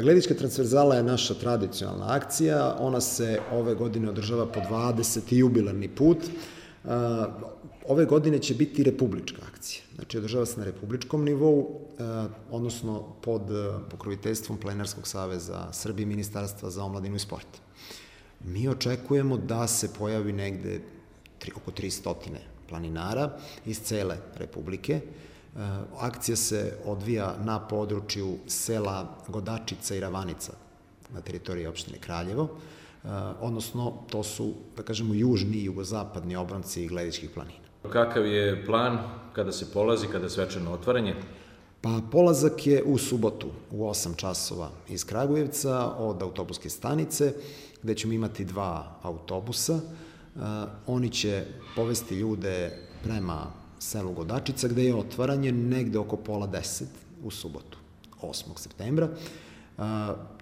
Gledička transverzala je naša tradicionalna akcija, ona se ove godine održava po 20. jubilarni put. Ove godine će biti republička akcija, znači održava se na republičkom nivou, odnosno pod pokroviteljstvom Planinarskog saveza Srbije i Ministarstva za omladinu i sport. Mi očekujemo da se pojavi negde oko 300 planinara iz cele Republike. Akcija se odvija na području sela Godačica i Ravanica na teritoriji opštine Kraljevo, odnosno to su, da kažemo, južni i jugozapadni obronci Gledičkih planina. Kakav je plan kada se polazi, kada je svečano otvaranje? Pa polazak je u subotu u 8 časova iz Kragujevca od autobuske stanice, gde ćemo imati 2 autobusa. Oni će povesti ljude prema selu Godačica, gde je otvaranje negde oko pola 10 u subotu, 8. septembra.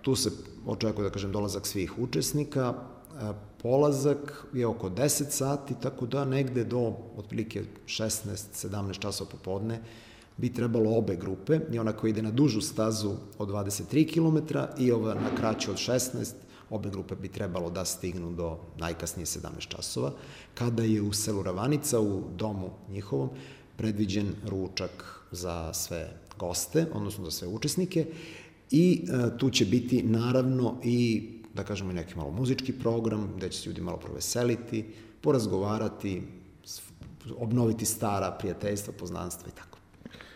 Tu se očekuje, da kažem, dolazak svih učesnika. Polazak je oko 10 sati, tako da negde do otprilike 16-17 časova popodne bi trebalo obe grupe, i ona koja ide na dužu stazu od 23 km i ova na kraću od 16, obe grupe bi trebalo da stignu do najkasnije 17 časova, kada je u selu Ravanica, u domu njihovom, predviđen ručak za sve goste, odnosno za sve učesnike, i tu će biti naravno i, da kažemo, i neki malo muzički program, gde će se ljudi malo proveseliti, porazgovarati, obnoviti stara prijateljstva, poznanstva i tako.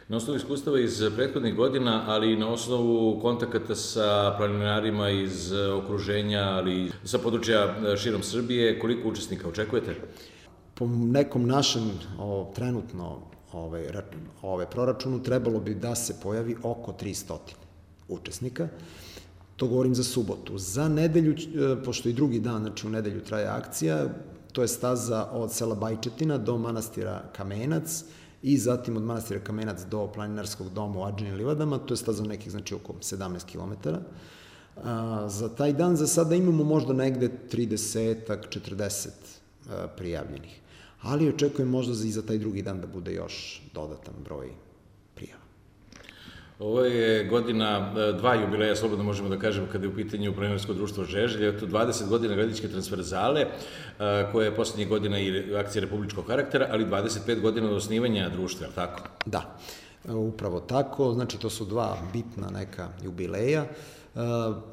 Na osnovu iskustava iz prethodnih godina, ali i na osnovu kontakata sa planinarima iz okruženja, ali sa područja širom Srbije, koliko učesnika očekujete? Po nekom našem trenutno proračunu trebalo bi da se pojavi oko 300 učesnika. To govorim za subotu. Za nedelju, pošto i drugi dan, znači u nedelju traje akcija, to je staza od sela Bajčetina do manastira Kamenac i zatim od manastira Kamenac do planinarskog doma u Adžinim livadama, to je staza nekih, znači, oko 17 km. Za taj dan za sada imamo možda negde 30-40 prijavljenih, ali očekujem možda i za taj drugi dan da bude još dodatan broj prijava. Ovo je godina 2 jubileja, slobodno možemo da kažemo, kada je u pitanju planinarsko društvo Žeželj, to 20 godina Gledičke transverzale, koja je poslednjih godina i akcija republičkog karaktera, ali 25 godina od osnivanja društva, je li tako? Da, upravo tako, znači to su 2 bitna neka jubileja.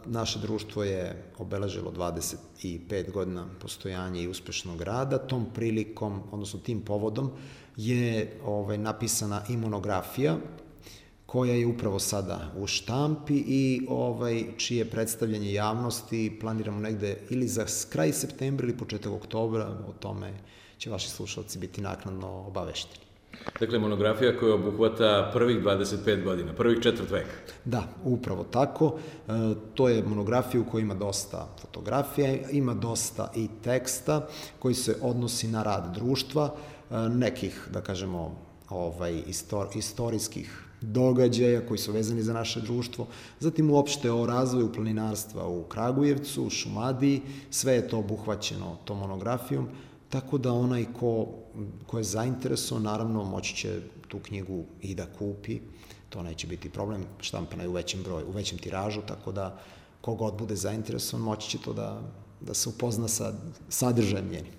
Naše društvo je obeležilo 25 godina postojanja i uspešnog rada. Tom prilikom, odnosno tim povodom, je napisana i monografija, koja je upravo sada u štampi i čije predstavljanje javnosti planiramo negde ili za kraj septembra ili početak oktobra. O tome će vaši slušalci biti naknadno obavešteni. Dakle, monografija koja obuhvata prvih 25 godina, prvih 4 veka. Da, upravo tako. To je monografija u kojoj ima dosta fotografija, ima dosta i teksta koji se odnosi na rad društva, nekih, da kažemo, istorijskih događaja koji su vezani za naše društvo, zatim uopšte o razvoju planinarstva u Kragujevcu, u Šumadiji, sve je to obuhvaćeno tom monografijom, tako da onaj ko je zainteresovan, naravno, moći će tu knjigu i da kupi, to neće biti problem, štampana je u većem broju, u većem tiražu, tako da kogod bude zainteresovan moći će to da se upozna sa sadržajem njenim.